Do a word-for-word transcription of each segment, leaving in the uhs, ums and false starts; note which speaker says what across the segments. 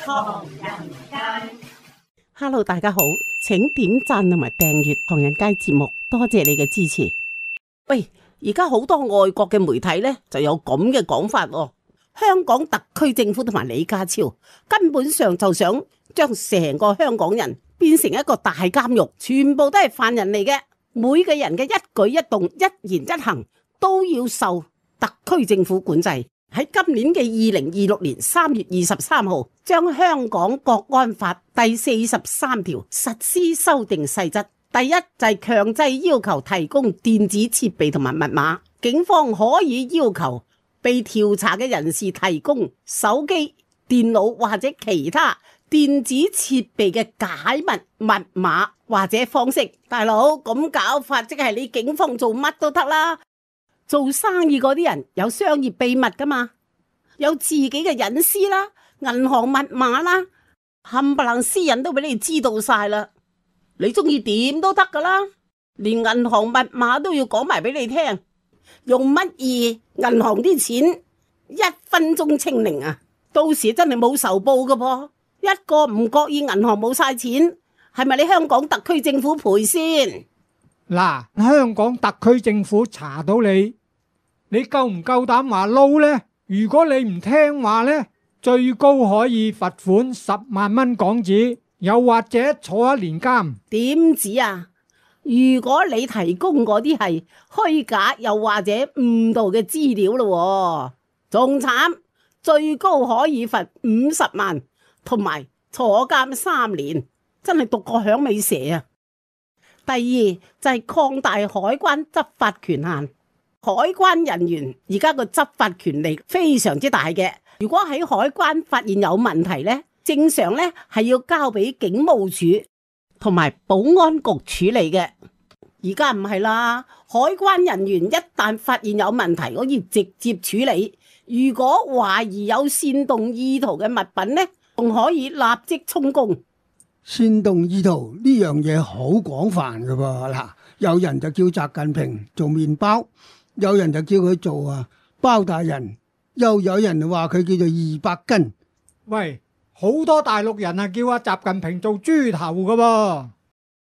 Speaker 1: 唐人街。
Speaker 2: Hello， 大家好，請點讚同埋訂閱唐人街節目，多謝你嘅支持。喂，而家好多外國嘅媒體呢就有咁嘅講法喎，香港特區政府同埋李家超根本上就想將成個香港人變成一個大監獄，全部都係犯人嚟嘅，每個人嘅一舉一動、一言一行都要受特區政府管制。喺今年嘅二零二六年三月二十三號，將香港國安法第四十三條實施修訂細則。第一就係強制要求提供電子設備同埋密碼，警方可以要求被調查嘅人士提供手機、電腦或者其他電子設備嘅解密密碼或者方式。大佬，咁搞法即係你警方做乜都得啦。做生意嗰啲人有商業秘密噶嘛，有自己嘅隱私啦，銀行密碼啦，冚唪唥私隱都俾你知道晒啦。你中意點都得噶啦，連銀行密碼都要講埋俾你聽。用乜嘢銀行啲錢一分鐘清零啊？到時真係冇仇報噶噃。一個唔覺意銀行冇晒錢，係咪你香港特區政府賠先？
Speaker 3: 嗱，香港特區政府查到你，你夠唔夠膽話撈呢？如果你唔聽話呢，最高可以罰款十萬蚊港紙，又或者坐一年監。
Speaker 2: 點止啊？如果你提供嗰啲係虛假又或者誤導嘅資料咯，仲慘，最高可以罰五十萬，同埋坐監三年，真係獨個響尾蛇啊！第二就係擴大海關執法權限。海關人員而家個執法權力非常之大嘅，如果喺海關發現有問題呢，正常呢係要交俾警務處同埋保安局處理嘅。而家唔係啦，海關人員一旦發現有問題，可以直接處理。如果懷疑有煽動意圖嘅物品呢，仲可以立即充公。
Speaker 4: 煽動意圖呢樣嘢好廣泛噶噃，嗱，有人就叫習近平做麵包，有人就叫佢做啊包大人，又有人話佢叫做二百斤。
Speaker 3: 喂，好多大陸人啊叫阿習近平做豬頭噶噃。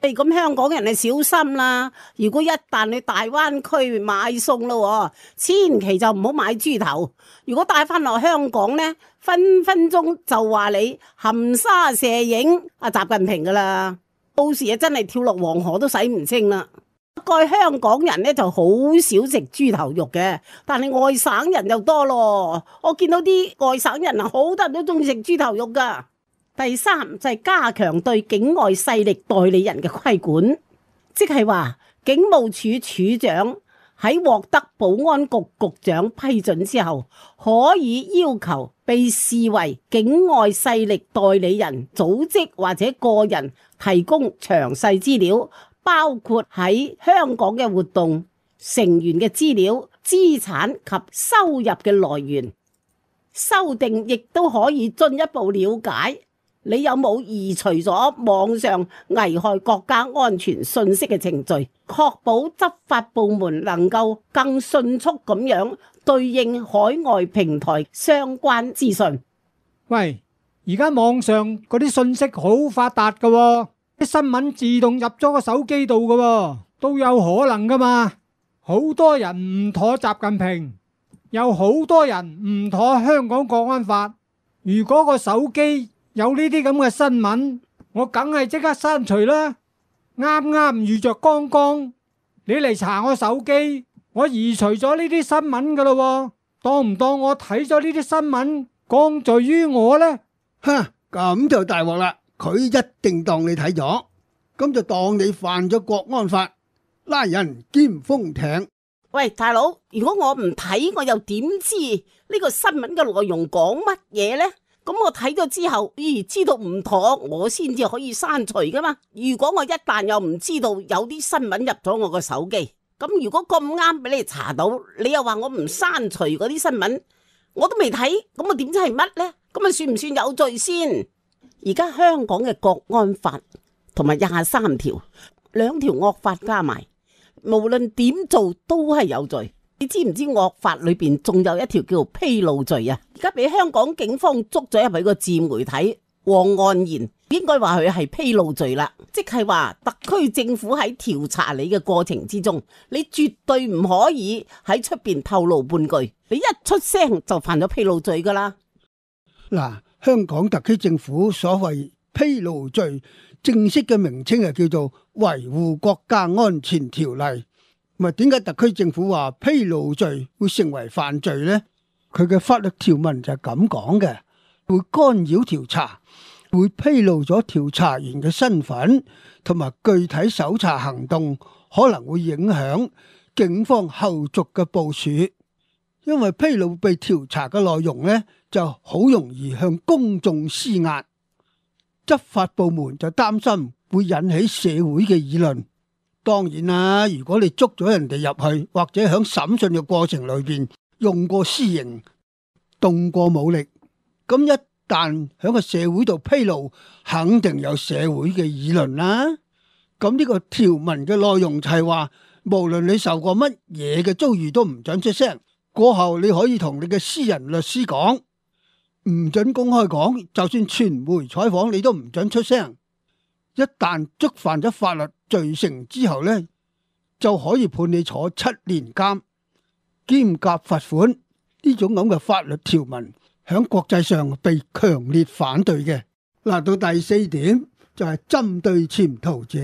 Speaker 2: 誒，咁香港人啊小心啦！如果一旦去大灣區買餸咯，千祈就唔好買豬頭。如果帶翻落香港呢，分分鐘就話你含沙射影阿習近平噶啦，到時啊真係跳落黃河都洗唔清啦。不過香港人呢就好少食豬頭肉嘅，但係外省人就多咯。我見到啲外省人啊，好多人都中意食豬頭肉噶。第三就係加強對境外勢力代理人嘅規管，即係話警務處處長喺獲得保安局局長批准之後，可以要求被視為境外勢力代理人組織或者個人提供詳細資料，包括喺香港嘅活動、成員嘅資料、資產及收入嘅來源。修訂亦都可以進一步了解你有冇移除咗網上危害國家安全信息嘅程序，確保執法部門能夠更迅速咁樣對應海外平台相關資訊。
Speaker 3: 喂，而家網上嗰啲信息好發達噶喎，啲新聞自動入咗個手機度噶喎，都有可能噶嘛。好多人唔妥習近平，有好多人唔妥香港國安法。如果個手機有呢啲咁嘅新聞，我梗係即刻刪除啦。啱啱遇着剛剛，你嚟查我手機，我移除咗呢啲新聞噶咯，當唔當我睇咗呢啲新聞降罪於我呢？
Speaker 4: 哼，咁就大鑊啦！佢一定當你睇咗，咁就當你犯咗國安法，拉人兼封艇。
Speaker 2: 喂，大佬，如果我唔睇，我又點知呢個新聞嘅內容講乜嘢呢？咁我睇咗之後，咦，知道唔妥，我先至可以刪除噶嘛。如果我一旦又唔知道有啲新聞入咗我個手機，咁如果咁啱俾你查到，你又話我唔刪除嗰啲新聞，我都未睇，咁我點知係乜呢？咁啊算唔算有罪先？而家香港嘅國安法同埋廿三條兩條惡法加埋，無論點做都係有罪。你知唔知惡法裏邊仲有一條叫披露罪啊？而家俾香港警方捉咗入去個自媒體黃岸然，應該話佢係披露罪啦，即係話特區政府喺調查你嘅過程之中，你絕對唔可以喺出邊透露半句，你一出聲就犯咗披露罪噶啦。
Speaker 4: 嗱，香港特區政府所謂披露罪正式嘅名稱係叫做維護國家安全條例。咪點解特區政府話披露罪會成為犯罪呢？佢嘅法律條文就係咁講嘅，會干擾調查，會披露咗調查員嘅身份同埋具體搜查行動，可能會影響警方後續嘅部署。因為披露被調查嘅內容呢，就好容易向公眾施壓，執法部門就擔心會引起社會嘅議論。當然啦，如果你捉咗人哋入去，或者喺審訊嘅過程裏邊用過私刑、動過武力，咁一旦喺個社會度披露，肯定有社會嘅議論啦。咁呢個條文嘅內容就係話，無論你受過乜嘢嘅遭遇都唔准出聲，過後你可以同你嘅私人律師講，唔准公開講，就算傳媒採訪你都唔准出聲。一旦觸犯咗法律罪成之後呢，就可以判你坐七年監兼夾罰款。呢種咁嘅法律條文響國際上被強烈反對嘅。嗱，到第四點就係針對潛逃者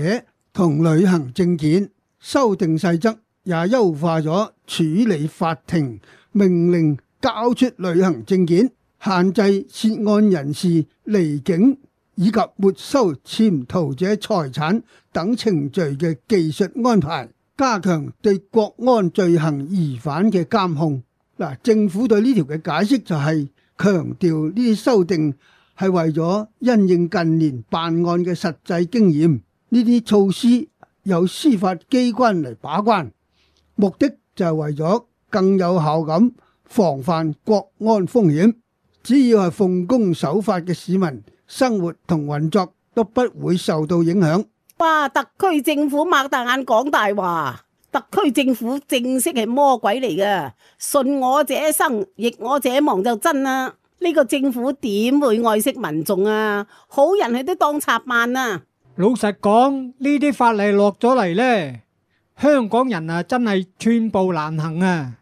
Speaker 4: 同旅行證件修訂細則，也優化咗處理法庭命令交出旅行證件、限制涉案人士離境以及沒收潛逃者財產等程序嘅技術安排，加強對國安罪行疑犯嘅監控。嗱，政府對呢條嘅解釋就係強調呢啲修訂係為咗因應近年辦案嘅實際經驗，呢啲措施由司法機關嚟把關，目的就係為咗更有效咁防範國安風險。只要係奉公守法嘅市民，生活同運作都不會受到影響。
Speaker 2: 哇！特區政府擘大眼講大話，特區政府正式係魔鬼嚟嘅，順我者生，逆我者亡就真啦。呢個政府點會愛惜民眾啊？好人佢都當賊辦啊！
Speaker 3: 老實講，呢啲法例落咗嚟呢，香港人啊真係寸步難行啊！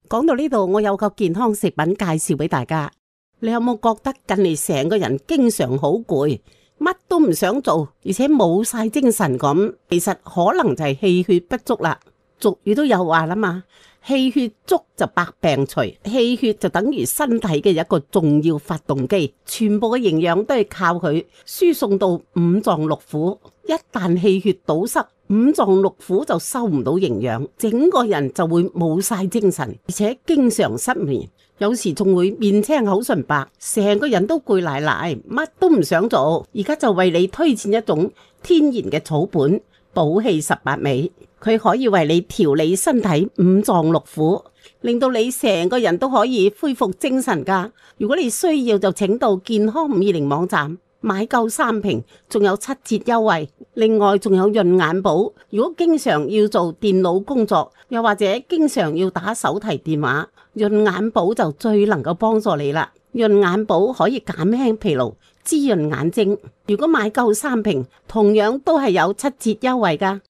Speaker 2: 講到呢度，我有個健康食品介紹俾大家。你有冇覺得近嚟成個人經常好攰，乜都唔想做，而且冇晒精神咁？其實可能就係氣血不足啦。俗語都有話啦嘛，氣血足就百病除，氣血就等於身體嘅一個重要發動機，全部嘅營養都係靠佢輸送到五臟六腑。一旦氣血堵塞，五臟六腑就收唔到營養，整個人就會冇晒精神，而且經常失眠，有時仲會面青口唇白，成個人都攰賴賴，乜都唔想做。而家就為你推薦一種天然嘅草本補氣十八味，佢可以為你調理身體五臟六腑，令到你成個人都可以恢復精神噶。如果你需要，就請到健康五二零網站買夠三瓶，仲有七折優惠。另外仲有潤眼寶，如果經常要做電腦工作，又或者經常要打手提電話，潤眼寶就最能夠幫助你啦。潤眼寶可以減輕疲勞，滋潤眼睛。如果買夠三瓶，同樣都係有七折優惠噶。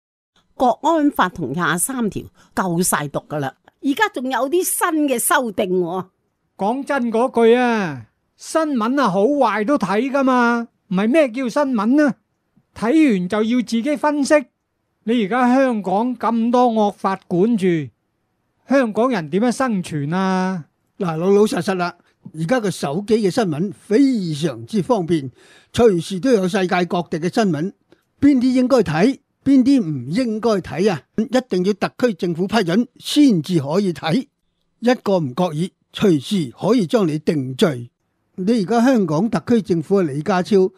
Speaker 2: 國安法同廿三條夠晒讀噶啦，而家仲有啲新嘅修訂。
Speaker 3: 講真嗰句啊，新聞啊好壞都睇噶嘛，唔係咩叫新聞啊？睇完就要自己分析。你而家香港咁多惡法管住，香港人點樣生存啊？
Speaker 4: 嗱，老老實實啦，而家個手機嘅新聞非常之方便，隨時都有世界各地嘅新聞，邊啲應該睇，邊啲唔應該睇啊？一定要特區政府批准先至可以睇，一個唔覺意，隨時可以將你定罪。你而家香港特區政府嘅李家超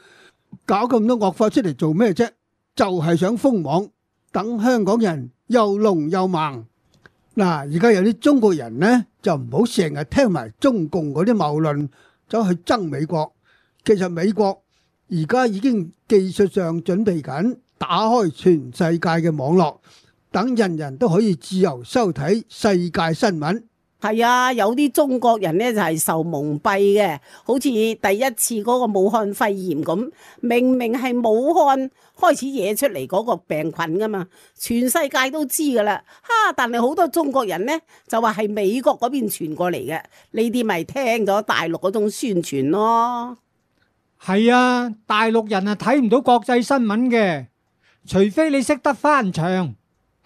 Speaker 4: 搞咁多惡法出嚟做咩啫？就係想封網，等香港人又聾又盲。嗱，而家有啲中國人呢，就唔好成日聽埋中共嗰啲謬論，走去憎美國。其實美國而家已經技術上準備緊打開全世界嘅網絡，等人人都可以自由收睇世界新聞。
Speaker 2: 係啊，有啲中國人呢就係受蒙蔽嘅，好似第一次嗰個武漢肺炎咁，明明係武漢開始惹出嚟嗰個病菌噶嘛，全世界都知噶啦，哈！但係好多中國人呢就話係美國嗰邊傳過嚟嘅，呢啲咪聽咗大陸嗰種宣傳咯。
Speaker 3: 係啊，大陸人啊睇唔到國際新聞嘅，除非你識得翻牆。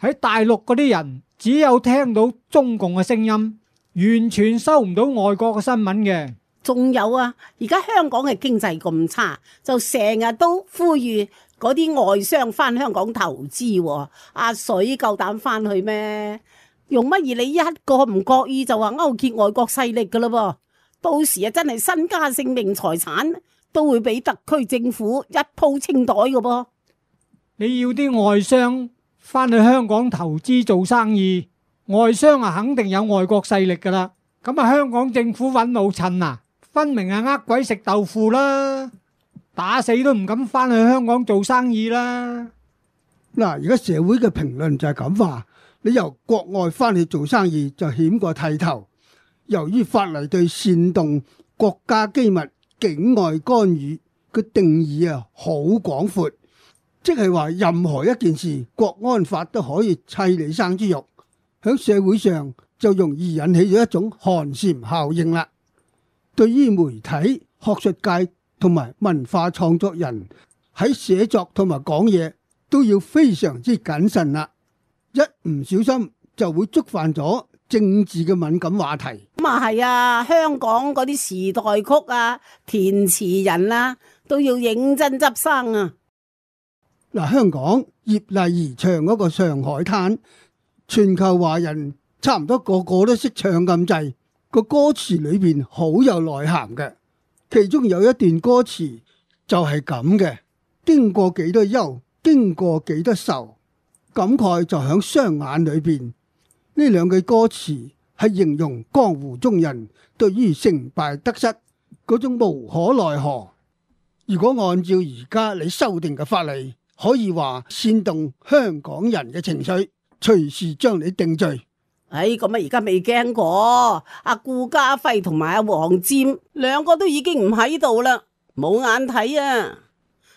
Speaker 3: 喺大陸嗰啲人只有聽到中共嘅聲音，完全收唔到外國嘅新聞嘅。
Speaker 2: 仲有啊，而家香港嘅經濟咁差，就成日都呼籲嗰啲外商翻香港投資喎。阿水夠膽翻去咩？用乜嘢你一個唔覺意就話勾結外國勢力噶啦噃？到時啊真係身家性命財產都會俾特區政府一鋪清袋噶噃。
Speaker 3: 你要啲外商翻去香港投資做生意，外商啊肯定有外國勢力噶啦。咁啊香港政府揾老襯啊，分明係呃鬼食豆腐啦，打死都唔敢翻去香港做生意啦。
Speaker 4: 嗱，而家社會嘅評論就係咁話，你由國外翻去做生意就險過剃頭。由於法例對煽動國家機密、境外干預嘅定義啊好廣闊，即係話任何一件事，國安法都可以砌你生豬肉，喺社會上就容易引起咗一種寒蟬效應啦。對於媒體、學術界同埋文化創作人喺寫作同埋講嘢都要非常之謹慎啦，一唔小心就會觸犯咗政治嘅敏感話題。
Speaker 2: 咁啊係啊，香港嗰啲時代曲啊、填詞人啊都要認真執生啊。
Speaker 4: 嗱，香港葉麗儀唱嗰個《上海灘》，全球華人差唔多個個都識唱咁滯，個歌詞裏邊好有內涵嘅。其中有一段歌詞就係咁嘅：經過幾多憂，經過幾多愁，感慨就響雙眼裏邊。呢兩句歌詞係形容江湖中人對於成敗得失嗰種無可奈何。如果按照而家你修訂嘅法例，可以話煽動香港人嘅情緒，隨時將你定罪。
Speaker 2: 哎，咁啊而家未驚過，阿顧嘉輝同埋阿黃霑兩個都已經唔喺度啦，冇眼睇啊！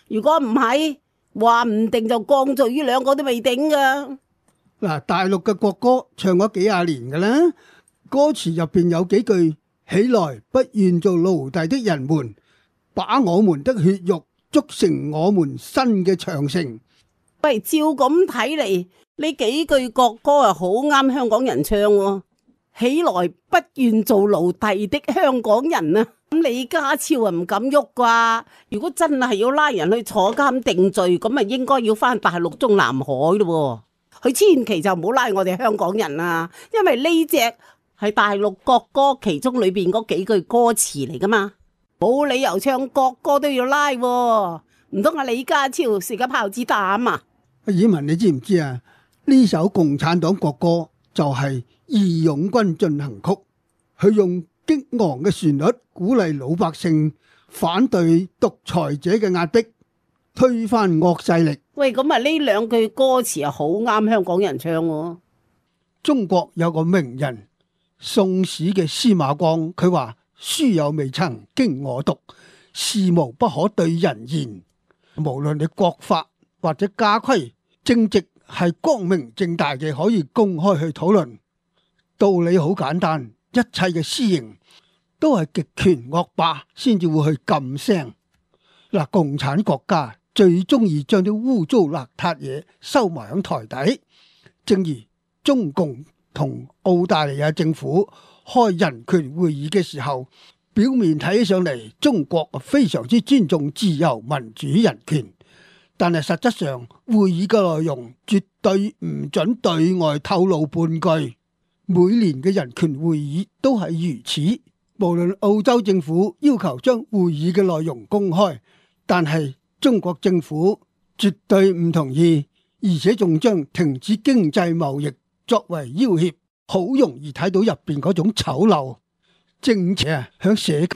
Speaker 2: 如果唔係，話唔定就降罪於兩個都未定噶。
Speaker 4: 嗱，大陸嘅國歌唱咗幾廿年㗎啦，歌詞入邊有幾句：起來，不願做奴隸的人們，把我們的血肉築成我們新嘅長城。
Speaker 2: 喂，照咁睇嚟，呢幾句國歌啊，好啱香港人唱喎。起來，不願做奴隸的香港人啊！咁李家超啊唔敢喐啩？如果真係要拉人去坐監定罪，咁啊應該要翻大陸中南海咯。佢千祈就唔好拉我哋香港人啊，因為呢隻係大陸國歌其中裏邊嗰幾句歌詞嚟噶嘛，冇理由唱國歌都要拉喎。唔通阿李家超食咗炮子彈啊？
Speaker 4: 阿爾文，你知唔知啊？呢首共產黨國歌就係《義勇軍進行曲》，佢用激昂嘅旋律鼓勵老百姓反對獨裁者嘅壓迫，推翻惡勢力。
Speaker 2: 喂，咁啊呢兩句歌詞啊好啱香港人唱喎。
Speaker 4: 中國有個名人宋史嘅司馬光，佢話：書有未曾經我讀，事無不可對人言。無論你國法或者家規，正直係光明正大嘅，可以公開去討論。道理好簡單，一切嘅私刑都係極權惡霸先至會去禁聲。嗱，共產國家最中意將啲污糟邋遢嘢收埋喺台底，正如中共同澳大利亞政府開人權會議嘅時候，表面睇起上嚟中國非常之尊重自由民主人權，但係實質上會議嘅內容絕對唔准對外透露半句。每年嘅人權會議都係如此，無論澳洲政府要求將會議嘅內容公開，但係中國政府絕對唔同意，而且仲將停止經濟貿易作為要挾，好容易睇到入邊嗰種醜陋。正且啊，響社